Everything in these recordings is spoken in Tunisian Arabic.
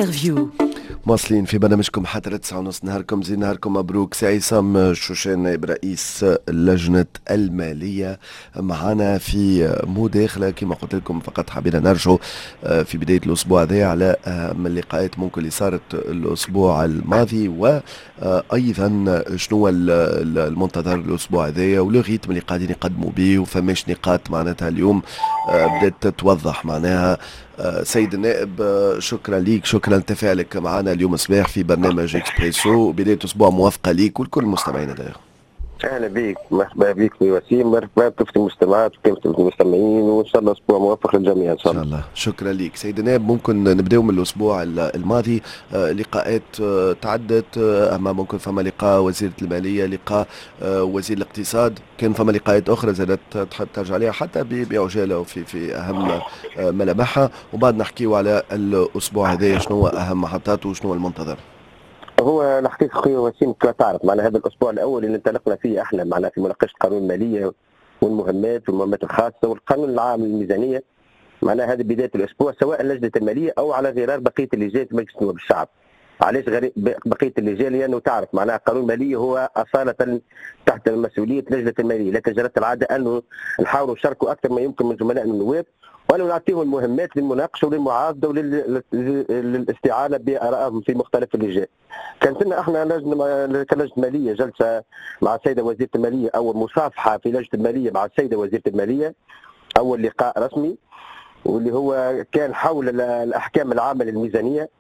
Interview. مواصلين في برنامجكم حتى 9:30. نهاركم زين، نهاركم مبروك. سي عصام شوشان، نائب رئيس لجنة المالية، معنا في مداخلة. كما قلت لكم، فقط حبينا نرجع في بداية الأسبوع هذا على أهم اللقاءات ممكن اللي صارت الأسبوع الماضي، وأيضا شنو المنتظر الأسبوع هذا و le rythme اللي قاعدين يقدموا به، وفماش نقاط معناتها اليوم بدأت تتوضح معناها. سيد النائب، شكرا ليك، شكرا لتفاعلك معنا اليوم صباح في برنامج اكسبريسو. بداية اسبوع موافقة ليك ولكل المستمعين دايما. اهلا بك، مرحبا بك في وسيم، مرحبا بكافة المستمعات وكافة المستمعين، وان شاء الله اسبوع موفق للجميع ان شاء الله. ان شاء الله، شكرا لك سيد النائب. ممكن نبداو من الاسبوع الماضي، لقاءات تعدت، اما ممكن فما لقاء وزيرة المالية، لقاء وزير الاقتصاد، كان فما لقاءات اخرى زادت تحب ترجع عليها حتى بعجاله وفي اهم ملامحها، وبعد نحكيو على الاسبوع هذا، شنو اهم محطاته وشنو المنتظر. هو الحقيقة خويا وسيم، كما تعرف معناها هذا الاسبوع الاول اللي انطلقنا فيه احنا معناها في مناقشة قانون المالية والمهمات والمهمات الخاصة والقانون العام للميزانيه، معناها هذه بداية الاسبوع، سواء لجنة المالية او على غرار بقية اللجان في مجلس نواب الشعب. علاش بقية اللجان؟ لانه تعرف معناها قانون المالية هو اصاله تحت مسؤولية لجنة الماليه، لكن جرت العادة انه نحاولوا نشاركوا اكثر ما يمكن من زملائنا النواب، وأنه نعطيهم المهمات للمناقشه وللمعاضده وللاستعانه بارائهم في مختلف اللجان. كانت لنا احنا لجنة كلجنه ماليه جلسه مع السيدة وزيره الماليه، اول مصافحه في لجنة المالية مع السيدة وزيره المالية، اول لقاء رسمي واللي هو كان حول الاحكام العامة للميزانيه.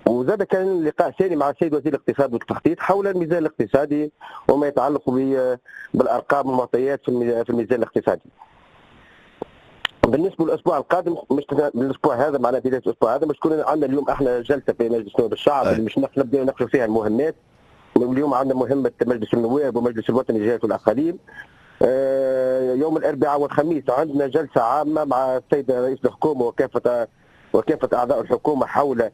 وزاد كان لقاء ثاني مع السيد وزير الاقتصاد والتخطيط حول الميزان الاقتصادي وما يتعلق بالارقام والمعطيات في الميزان الاقتصادي. بالنسبة للاسبوع القادم، مش الاسبوع هذا، معناها بداية الاسبوع هذا مش تكون عندنا اليوم احنا جلسه في مجلس نواب الشعب اللي مش نبدا نناقشوا فيها المهمات. اليوم عندنا مهمة مجلس النواب ومجلس الوطني للجهات والاقاليم. يوم الاربعاء والخميس عندنا جلسه عامة مع السيد رئيس الحكومة وكافة اعضاء الحكومة حول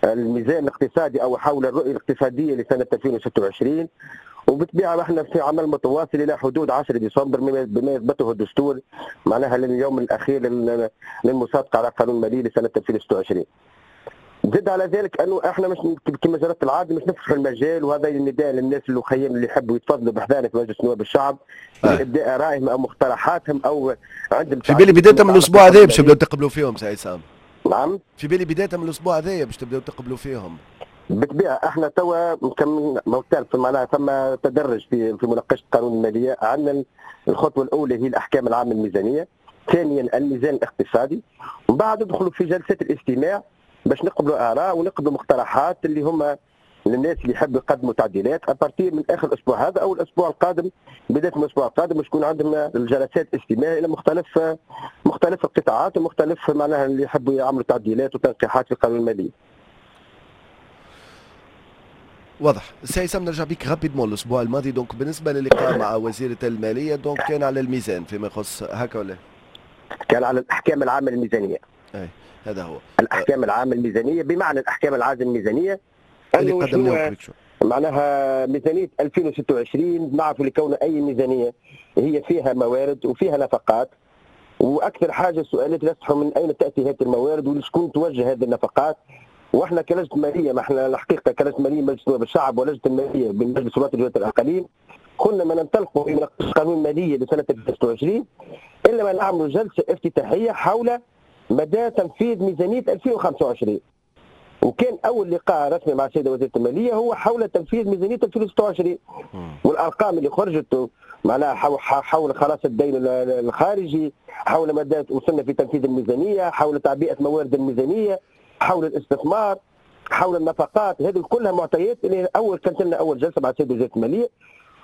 الميزان الاقتصادي او حول الرؤية الاقتصادية لسنه 2026. وبالطبيعه احنا في عمل متواصل الى حدود 10 ديسمبر بما يثبته الدستور، معناها لليوم الاخير للمصادقه على قانون المالية لسنه 2026. زد على ذلك انه احنا مش كما جرت العادة مش نفتح المجال، وهذا النداء للناس اللي يحبوا يتفضلوا بحذانا في مجلس نواب الشعب لابداء ارائهم او مقترحاتهم او عندهم. في بالي بداية من الاسبوع هذا باش تبداو تقبلوا فيهم سي عصام. نعم، في بالي بداية من الاسبوع هذا باش تبداو تقبلوا فيهم. بالطبيعة احنا توا مكمل معناها ثم تدرج في مناقشة قانون المالية. عندنا الخطوة الاولى هي الاحكام العامة الميزانية، ثانيا الميزان الاقتصادي، ومن بعد ندخلوا في جلسات الاستماع باش نقبلوا اراء ونقبلوا مقترحات اللي هما للناس اللي يحبوا يقدموا تعديلات à partir من اخر الاسبوع هذا او الاسبوع القادم. بداية من الاسبوع القادم باش تكون عندنا الجلسات استماع الى مختلف القطاعات ومختلف معناها اللي يحبوا يعملوا تعديلات وتنقيحات في القانون المالي. واضح سي عصام، نرجع بك rapidement الاسبوع الماضي. donc بالنسبة للقاء مع وزيره المالية، donc كان على الميزان فيما يخص هكا ولا؟ كان على الاحكام العامة للميزانيه. اي هذا هو الاحكام العامة الميزانية، بمعنى الاحكام العامة الميزانية اللي قدمناه معناها ميزانية 2026. نعرف لكون اي ميزانية هي فيها موارد وفيها نفقات، واكثر حاجة السؤالات يصحوا من اين تاتي هذه الموارد ولشكون توجه هذه النفقات. واحنا كلجنه ماليه، ما احنا الحقيقة كلجنه ماليه مجلس نواب الشعب ولجنه المالية بمجلس الوطني لجهات الاقاليم، كنا ما ننطلقوا في مناقشة قانون المالية لسنه 2026 الا ما نعملوا جلسه افتتاحيه حول مدى تنفيذ ميزانية 2025. وكان اول لقاء رسمي مع السيدة وزيره المالية هو حول تنفيذ ميزانية 2026 والارقام اللي خرجت معناها حول خلاص الدين الخارجي، حول مدى وصلنا في تنفيذ الميزانية، حول تعبئة موارد الميزانية، حول الاستثمار، حول النفقات، هذه كلها معطيات اللي اول كانت لنا اول جلسه مع السيد وزيره المالية،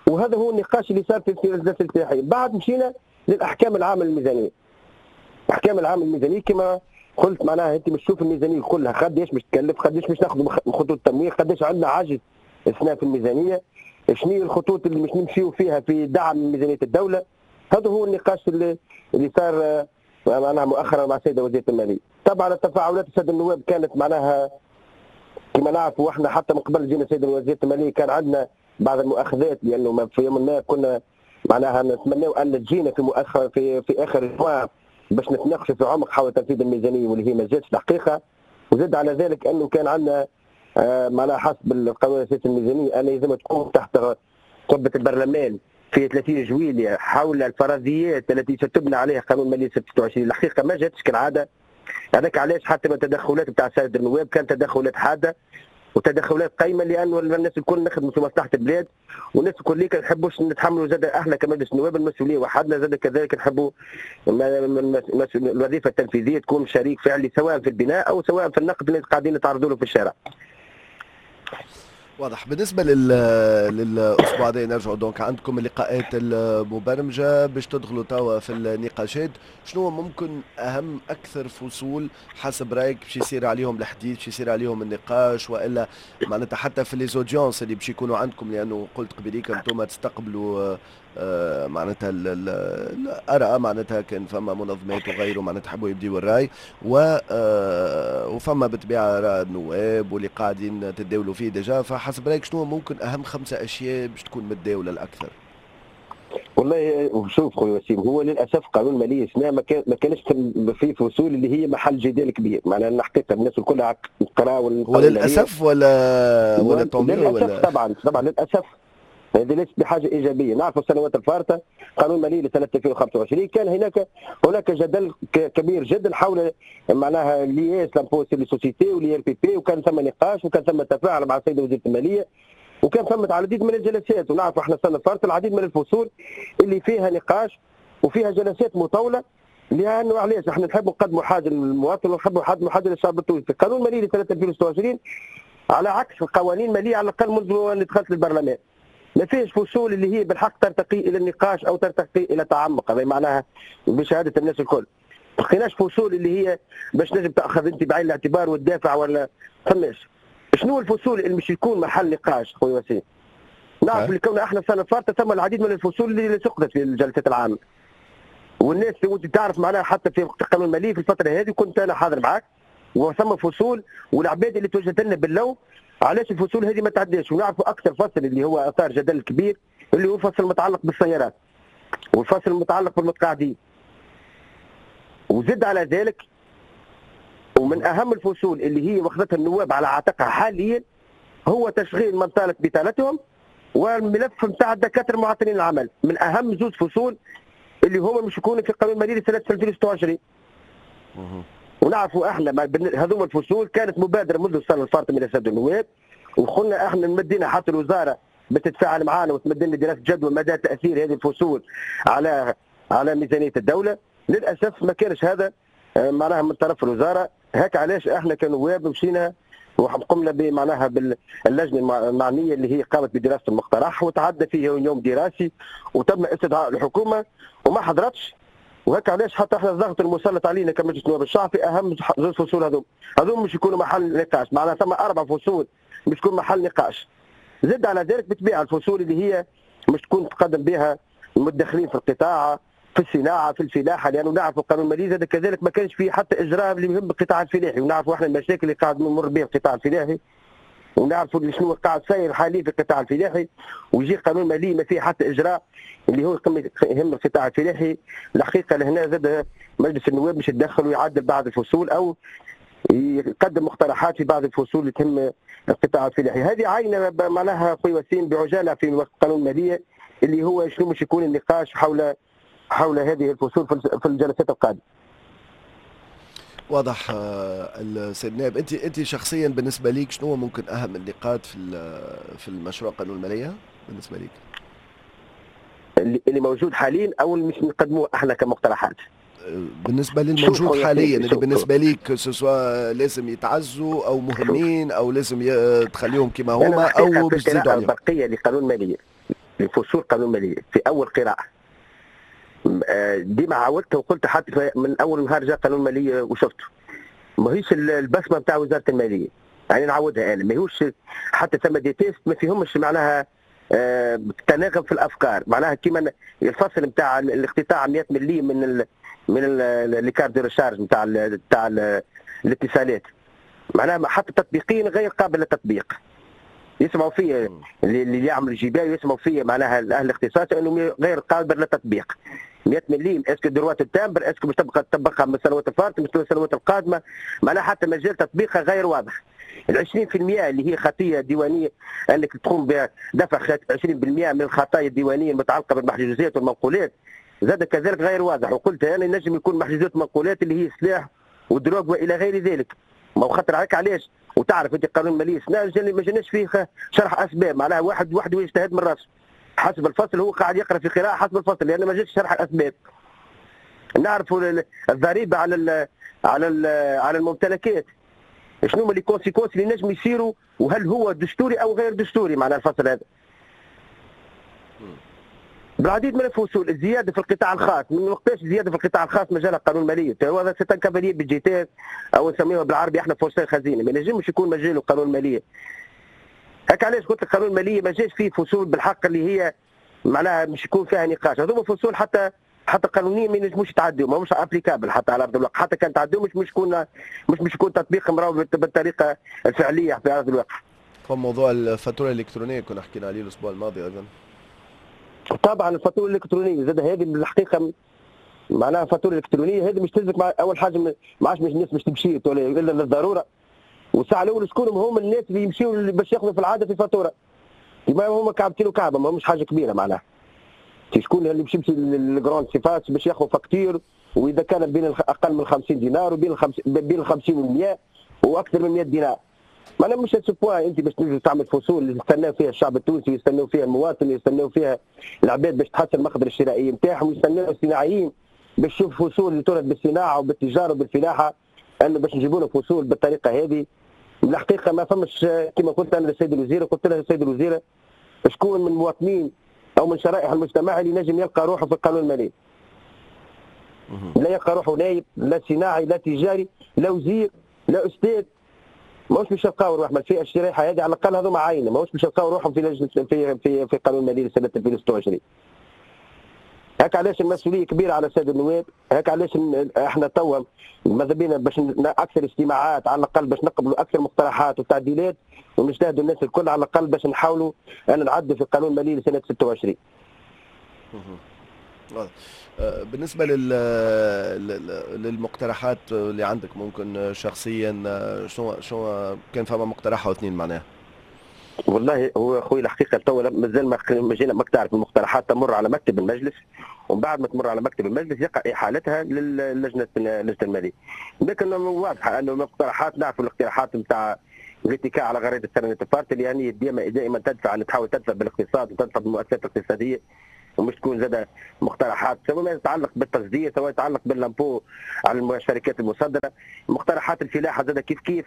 وهذا هو النقاش اللي صار في الجلسة الافتتاحيه. بعد مشينا للاحكام العامة للميزانيه. الاحكام العامة للميزانيه كما قلت معناها انت مش تشوف الميزانية كلها قداش مش تكلف، قداش مش ناخذ خطوط التمويل، قداش عندنا عجز اثناء في الميزانية، شنو هي الخطوط اللي مش نمشيو فيها في دعم ميزانية الدولة. هذا هو النقاش اللي صار معناها مؤخرا مع السيدة وزيره المالية. طبعا التفاعلات السادة النواب كانت معناها كما نعرفوا احنا حتى من قبل جينا السيدة وزيره المالية كان عندنا بعض المؤاخذات، لانه في يوم ما كنا معناها نتمناو ان تجينا في مؤخر في اخر الجمعة باش نتناقشوا في عمق حول تنفيذ الميزانية واللي هي ما جاتش الحقيقة. وزد على ذلك انه كان عندنا معناها حسب القانون الاساسي الميزانية ان لازم تكون تحت قبه البرلمان في 30 جويلية حول الفرضيات التي ستبنى عليها قانون المالية 26. الحقيقة ما جاتش كالعاده. هذاك علاش حتى من التدخلات بتاع السادة النواب كان تدخلات حادة وتدخلات قيمه، لانه الناس الكل نخدموا في مصلحة البلاد، والناس الكل ما نحبوش نتحملوا زاد احنا كمجلس النواب المسؤولية وحدنا، زاد كذلك نحبوا الوظيفة التنفيذية تكون شريك فعلي سواء في البناء او سواء في النقد اللي قاعدين نتعرضوا له في الشارع. واضح. بالنسبة للأسبوع هذا نرجعوا donc عندكم اللقاءات المبرمجة باش تدخلوا توا في النقاشات. شنو ممكن أهم أكثر فصول حسب رأيك باش يصير عليهم الحديث، باش يصير عليهم النقاش، وإلا معناتها حتى في les audiences اللي باش يكونوا عندكم؟ لأنه قلت قبليك أنتم تستقبلوا معناتها الآراء، معناتها كان فما منظمات وغيره معناتها حبوا يبديوا الرأي، و وفما بالطبيعة آراء النواب واللي قاعدين تداولوا فيه déjà. فحسب رأيك شنو ممكن أهم 5 أشياء باش تكون متداولة الأكثر؟ والله شوف خويا وسيم، هو للاسف قانون المالية السنة ما كانش في فصول اللي هي محل جدال كبير، معناها الحقيقة الناس الكل قراوا. هو للاسف ولا للاسف؟ طبعا طبعا للاسف، هذه ليست بحاجة ايجابيه. نعرف السنوات الفارطه قانون مالي لسنه 2025 كان هناك جدل كبير جدا حول معناها l'IS، l'impôt sur les sociétés و l'IRPP، وكان ثم نقاش وكان ثم تفاعل مع السيدة وزيره الماليه، وكان ثم العديد من الجلسات. ونعرف احنا السنة الفارطه العديد من الفصول اللي فيها نقاش وفيها جلسات مطوله، لانه علاش؟ احنا نحب نقدموا حاجة للمواطن ونحب نقدموا حاجة للشعب التونسي. القانون المالي لسنه 2026 على عكس القوانين المالية على الاقل منذ ان دخلت للبرلمان ما فيش فصول اللي هي بالحق ترتقي الى النقاش او ترتقي الى تعمق، هذا معناها بشهادة الناس الكل. ما لقيناش فصول اللي هي باش نجم تاخذ انت بعين الاعتبار وتدافع ولا فماش. شنو الفصول اللي مش يكون محل نقاش خويا وسيم؟ نعرف اللي كون احنا السنة الفارطه ثم العديد من الفصول اللي سقطت في الجلسات العامة. والناس وانت تعرف معناها حتى في القانون المالي في الفترة هذه كنت انا حاضر معاك، وثم فصول والعباد اللي توجهت لنا باللوم علاش الفصول هذه ما تعداش. ونعرفوا اكثر فصل اللي هو اثار جدل كبير اللي هو الفصل المتعلق بالسيارات والفصل المتعلق بالمتقاعدين. وزد على ذلك ومن اهم الفصول اللي هي واخذتها النواب على عاتقها حاليا هو تشغيل من طالت بطالتهم والملف نتاع الدكاترة المعطلين العمل، من اهم زوج فصول اللي هما مش يكونوا في القانون المالي لسنه 2026. ونعرفوا احنا هذوما الفصول كانت مبادرة منذ السنة الفارطه من السادة النواب، وقلنا احنا مدينا حتى الوزارة بتتفاعل معنا وتمد لنا دراسة جدوى مدى تاثير هذه الفصول على ميزانية الدولة. للاسف ما كانش هذا معناها من طرف الوزارة. هاك علاش احنا كنواب مشينا وقمنا بمعناها باللجنه المعنية اللي هي قامت بدراسة المقترح وتعدى فيه يوم دراسي وتم استدعاء الحكومة وما حضرتش. وهيك علاش حتى احنا الضغط المسلط علينا كمجلس نواب الشعب في اهم زوج فصول هذوم مش يكونوا محل نقاش، معناها ثم 4 فصول مش تكون محل نقاش. زد على ذلك بالطبيعة الفصول اللي هي مش تكون تقدم بها المتدخلين في القطاع، في الصناعة، في الفلاحة، لانه نعرف القانون المالي زاد كذلك ما كانش فيه حتى اجراء اللي يهم القطاع الفلاحي، ونعرفوا احنا المشاكل اللي قاعد نمر بها القطاع الفلاحي، ونعرفوا شنو قاعد صاير حاليا في القطاع الفلاحي، ويجي قانون مالي ما فيه حتى اجراء اللي هو يهم القطاع الفلاحي. الحقيقة لهنا زاد مجلس النواب مش يتدخل ويعدل بعض الفصول او يقدم مقترحات في بعض الفصول اللي تهم القطاع الفلاحي. هذه عينه معناها خويا وسيم بعجاله في قانون المالية اللي هو شنو مش يكون النقاش حول هذه الفصول في الجلسات القادمة. واضح السيد نائب. انت شخصيا بالنسبة ليك شنو ممكن اهم النقاط في المشروع قانون المالية بالنسبة ليك؟ اللي موجود حاليا او اللي مش نقدموه احنا كمقترحات؟ بالنسبة للموجود حاليا اللي بالنسبة ليك سواء لازم يتعزوا او مهمين او لازم تخليهم كما هما او باش تزيدوا عليهم. البقية لقانون المالية لفصول قانون المالية في اول قراءة ديما عاودت وقلت حتى من اول نهار جاء قانون المالية وشفته ماهيش البصمة نتاع وزارة المالية، يعني نعاودها انا ماهوش حتى ثم des textes ما فيهمش معناها تناغم في الافكار، معناها كيما الفصل نتاع الاقتطاع 100 مليم من les cartes de recharge نتاع الاتصالات، معناها حتى تطبيقيا غير قابل للتطبيق. يسمعوا فيا اللي يعمل الجباية يسمعوا فيا معناها اهل الاختصاص انه غير قابل للتطبيق. 100 مليم est-ce que droit de timbre، est-ce que باش تبقى تطبقها من السنوات الفارطه، من السنوات القادمة، معناها حتى مجال تطبيقها غير واضح. ال 20% اللي هي خطيه ديوانيه، انك تقوم بدفع 20% من الخطايا الديوانيه المتعلقة بالمحجوزات والمنقولات، زاد كذلك غير واضح. وقلت انا ينجم يكون محجوزات ومنقولات اللي هي سلاح و drogue والى غير ذلك. ما هو خاطر عليك علاش؟ وتعرف انت قانون المالية سنة ما جاناش فيه شرح اسباب، معناها واحد وحده يجتهد من راسه حسب الفصل، هو قاعد يقرا في قراءة حسب الفصل لان ما جاش شرح الاسباب. نعرفوا الضريبة على الممتلكات، شنو هما les conséquences اللي نجم يصيروا، وهل هو دستوري او غير دستوري معناها الفصل هذا. بالعديد من الفصول، الزيادة في القطاع الخاص، من وقتاش الزيادة في القطاع الخاص مجالها قانون المالية؟ هذا c'est un cavalier budgétaire او نسميوه بالعربي احنا forceur خزينة، ما ينجمش يكون مجاله قانون المالية. هكا علاش قلت لك قانون المالية ما جاش فيه فصول بالحق اللي هي معناها مش يكون فيها نقاش. هذوما فصول حتى قانونيا ما ينجموش يتعدوا، ماهمش applicables حتى على ارض الواقع، حتى كان تعدوا مش يكون تطبيقهم راهو بالطريقة الفعلية في ارض الواقع. موضوع الفاتورة الالكترونية كنا حكينا عليه الاسبوع الماضي ايضا. طبعا الفاتورة الالكترونية زاد هذه بالحقيقة معناها الفاتورة الالكترونية هذه مش تلزمك مع اول حاجة ما عادش مش الناس مش تمشي الا للضرورة، والساعة الاولى شكون هم الناس اللي يمشيوا باش ياخذوا في العادة في فاتورة؟ ما هما كعبتين وكعبه، ما همش حاجة كبيرة معناها. شكون اللي باش يمشي لل grandes surfaces باش ياخذ facture، واذا كان بين اقل من 50 دينار وبين بين 50 و 100 واكثر من 100 دينار. معناها مش à ce point انت باش تنجم تعمل فصول اللي يستناو فيها الشعب التونسي، ويستناو فيها المواطن، ويستناو فيها العباد باش تحسن المقدرة الشرائية نتاعهم، ويستناو الصناعيين باش يشوفوا فصول اللي ترد بالصناعة وبالتجاره وبالفلاحه، انه باش نجيبوا لهم فصول بالطريقة هذه. الحقيقة ما فمش، كما قلت انا للسيد الوزير، قلت له السيد الوزير شكون من المواطنين او من شرائح المجتمع اللي نجم يلقى روحه في القانون المالي؟ لا يلقى روحه نايب، لا صناعي، لا تجاري، لا وزير، لا استاذ. ماهوش باش يلقاو روحهم الفئة الشريحة هذه، على الاقل هذوما عينه ماهوش باش يلقاو روحهم في لجنة في في في قانون المالي لسنه 2026. هكا علاش المسؤولية كبيرة على السادة النواب، هكا علاش احنا توا ماذا بينا باش اكثر اجتماعات على الاقل باش نقبلوا اكثر مقترحات وتعديلات، ونجتهدوا الناس الكل على الاقل باش نحاولوا ان نعدوا في القانون المالي لسنه 26. بالنسبة للمقترحات اللي عندك ممكن شخصيا، شنو كان فما مقترح او اثنين معناها؟ والله هو خوي الحقيقة تو مازال ما جينا، ماك تعرف المقترحات تمر على مكتب المجلس، ومن بعد ما تمر على مكتب المجلس يقع احالتها للجنة اللجنة الماليه. لكن واضحة انه المقترحات، نعرفوا الاقتراحات نتاع الاتكاء على غريزة السنة الفارطه اللي يعني دائما دائما تدفع، ان تحاول تدفع بالاقتصاد وتدفع بالمؤسسات الاقتصاديه، ومش تكون زاد مقترحات سواء ما يتعلق بالتصدير، سواء يتعلق بال l'impôt على الشركات المصدره. مقترحات الفلاحة زاد كيف كيف،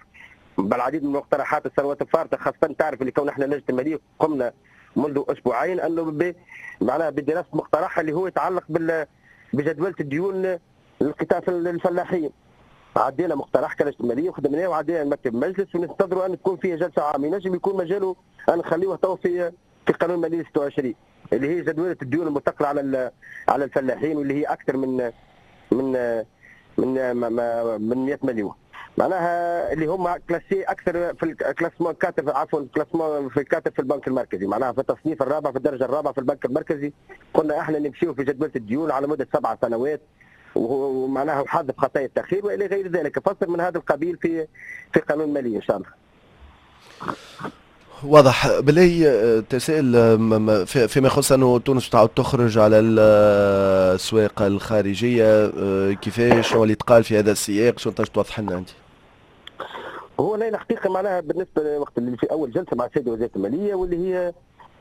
بالعديد من المقترحات السنوات الفارطه، خاصة تعرف اللي كون احنا لجنة المالية قمنا منذ اسبوعين انه معناها بدراسة مقترح اللي هو يتعلق بجدوله الديون للقطاع الفلاحين. عدينا مقترح كلجنه المالية وخدمناه وعدينا المكتب المجلس، وننتظروا ان تكون فيه جلسه عامة، ينجم يكون مجاله ان نخليه تو في قانون المالية 26، اللي هي جدوله الديون المثقله على الفلاحين، واللي هي اكثر من 100 مليون، معناها اللي هما classés اكثر في ال classement 4، عفوا classement في 4 في البنك المركزي، معناها في التصنيف الرابع، في الدرجة الرابعة في البنك المركزي. قلنا احنا نمشيو في جدوله الديون على مده 7 سنوات، ومعناها حذف خطايا التاخير والى غير ذلك، فصل من هذا القبيل في قانون المالية ان شاء الله. واضح. بالله تسأل فيما يخص انه تونس تعود تخرج على الاسواق الخارجيه، كيفاش، شنو اللي تقال في هذا السياق، شنو تنجم توضح لنا انت؟ هو لا الحقيقة معناها بالنسبة وقت اللي في اول جلسه مع السيد وزير المالية، واللي هي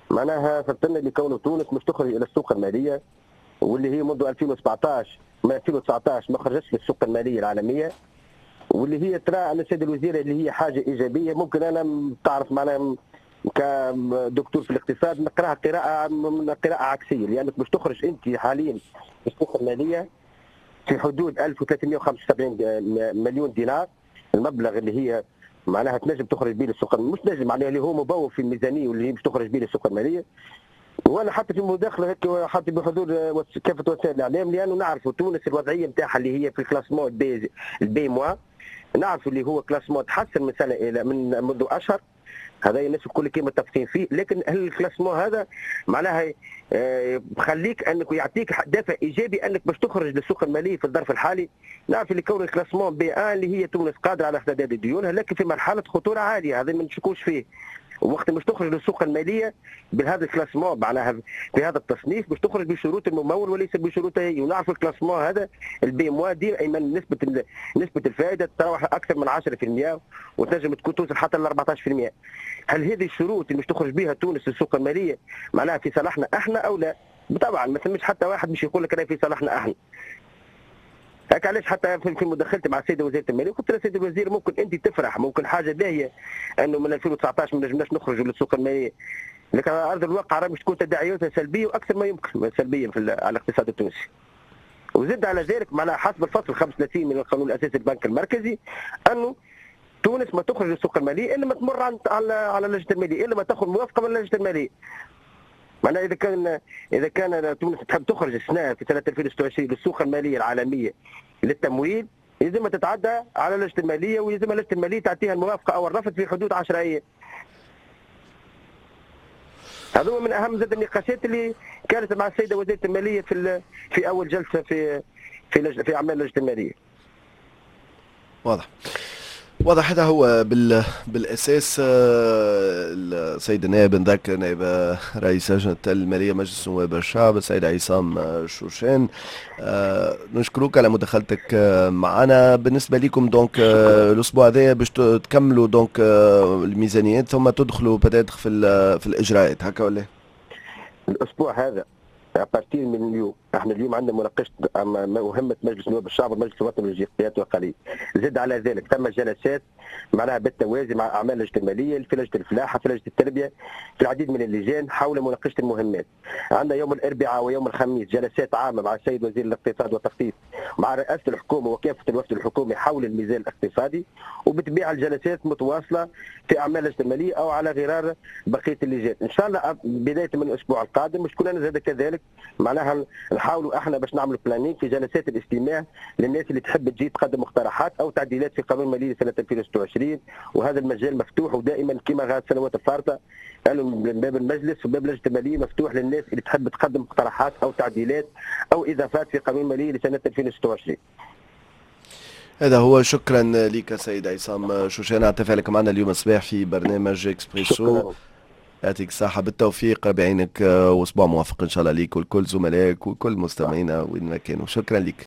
معناها فسرنا اللي كونه تونس مش تخرج الى السوق الماليه، واللي هي منذ 2017، من 2019 ما خرجتش للسوق المالية العالميه، واللي هي ترى على السيد الوزير اللي هي حاجة ايجابيه. ممكن انا تعرف معناها كدكتور في الاقتصاد نقراها قراءة من قراءة عكسيه، لانك باش تخرج انت حاليا السوق المالية في حدود 1375 مليون دينار، المبلغ اللي هي معناها تنجم تخرج به للسوق، مش نجم معناها اللي هو مبوب في الميزانية واللي هي باش تخرج به للسوق الماليه. وانا حتى في مداخله هيك حتى بحضور كافة وسائل الاعلام، لانه نعرفوا تونس الوضعية نتاعها اللي هي في ال classement B، ال B moins، نعرفوا اللي هو classement تحسن من سنة الى من منذ اشهر. هذا الناس الكل كيما متفقين فيه. لكن هل ال classement هذا معناها بخليك انك يعطيك دافع ايجابي انك باش تخرج للسوق المالية في الظرف الحالي؟ نعرف اللي كون ال classement B1 اللي هي تونس قادرة على سداد ديونها، لكن في مرحلة خطورة عاليه، هذا ما نشكوش فيه. وقت مش تخرج للسوق المالية بهذا ال classement، معناها في هذا التصنيف، باش تخرج بشروط الممول وليس بشروط هي. ونعرف ال classement هذا ال B moins ديما نسبه الفائدة تتراوح اكثر من 10% وتنجم تكون توصل حتى ل 14%. هل هذه الشروط اللي مش تخرج بها تونس للسوق المالية معناها في صالحنا احنا او لا؟ طبعا ما ثمش حتى واحد مش يقول لك راهي في صالحنا احنا. هكا علاش حتى في مداخلتي مع السيد وزير المالية قلت له: سيد الوزير، ممكن انت تفرح، ممكن حاجة باهيه انه من 2019 ما نجمناش نخرجوا للسوق الماليه، لكن على ارض الواقع راه مش تكون تداعياتها سلبية واكثر ما يمكن سلبية على الاقتصاد التونسي. وزد على ذلك معناها حسب الفصل 35 من القانون الاساسي للبنك المركزي انه تونس ما تخرج للسوق المالية الا ما تمر على اللجنة الماليه، الا ما تاخذ موافقة من اللجنة الماليه. معناها اذا كان تونس تحب تخرج السنة في سنة 2026 للسوق المالية العالمية للتمويل، لازم تتعدى على اللجنة الماليه، ولازم اللجنة المالية تعطيها الموافقة او الرفض في حدود 10 ايام. هذا من اهم زاد النقاشات اللي كانت مع السيدة وزيره المالية في اول جلسه في اعمال اللجنة الماليه. واضح واضح. هذا هو بالاساس. السيد النائب، نذكر، نائب رئيس لجنة المالية مجلس نواب الشعب السيد عصام شوشان، نشكرك على مداخلتك معنا. بالنسبة لكم donc الاسبوع هذا باش تكملوا donc الميزانيات ثم تدخلوا peut-être في الاجراءات، هكا ولا؟ الاسبوع هذا à partir من اليوم، احنا اليوم عندنا مناقشة مهمة مجلس نواب الشعب والمجلس الوطني للجهات والأقاليم. زد على ذلك ثم جلسات معناها بالتوازي مع اعمال اللجنة الماليه، في لجنة الفلاحه، في لجنة التربيه، في العديد من اللجان حول مناقشة المهمات. عندنا يوم الاربعاء ويوم الخميس جلسات عامة مع السيد وزير الاقتصاد والتخطيط، مع رئاسة الحكومة وكافة الوفد الحكومي حول الميزان الاقتصادي. وبالطبيعه الجلسات متواصلة في اعمال اللجنة المالية او على غرار بقية اللجان. ان شاء الله بداية من الاسبوع القادم مش كلنا زاد كذلك معناها نحاولوا احنا باش نعملوا planning في جلسات الاستماع للناس اللي تحب تجي تقدم مقترحات او تعديلات في قانون المالية لسنه 2026. وهذا المجال مفتوح ودائما كما السنوات الفارطه، قالوا باب المجلس وباب لجنة المالية مفتوح للناس اللي تحب تقدم مقترحات او تعديلات او اضافات في قانون المالية لسنه 2026. هذا هو. شكرا لك سيد عصام شوشان على تفاعلك معنا اليوم الصباح في برنامج اكسبريسو. يعطيك الصحة، بالتوفيق بعينك، واسبوع موفق ان شاء الله ليك ولكل زملائك وكل مستمعينا وين ما كانوا. شكرا لك.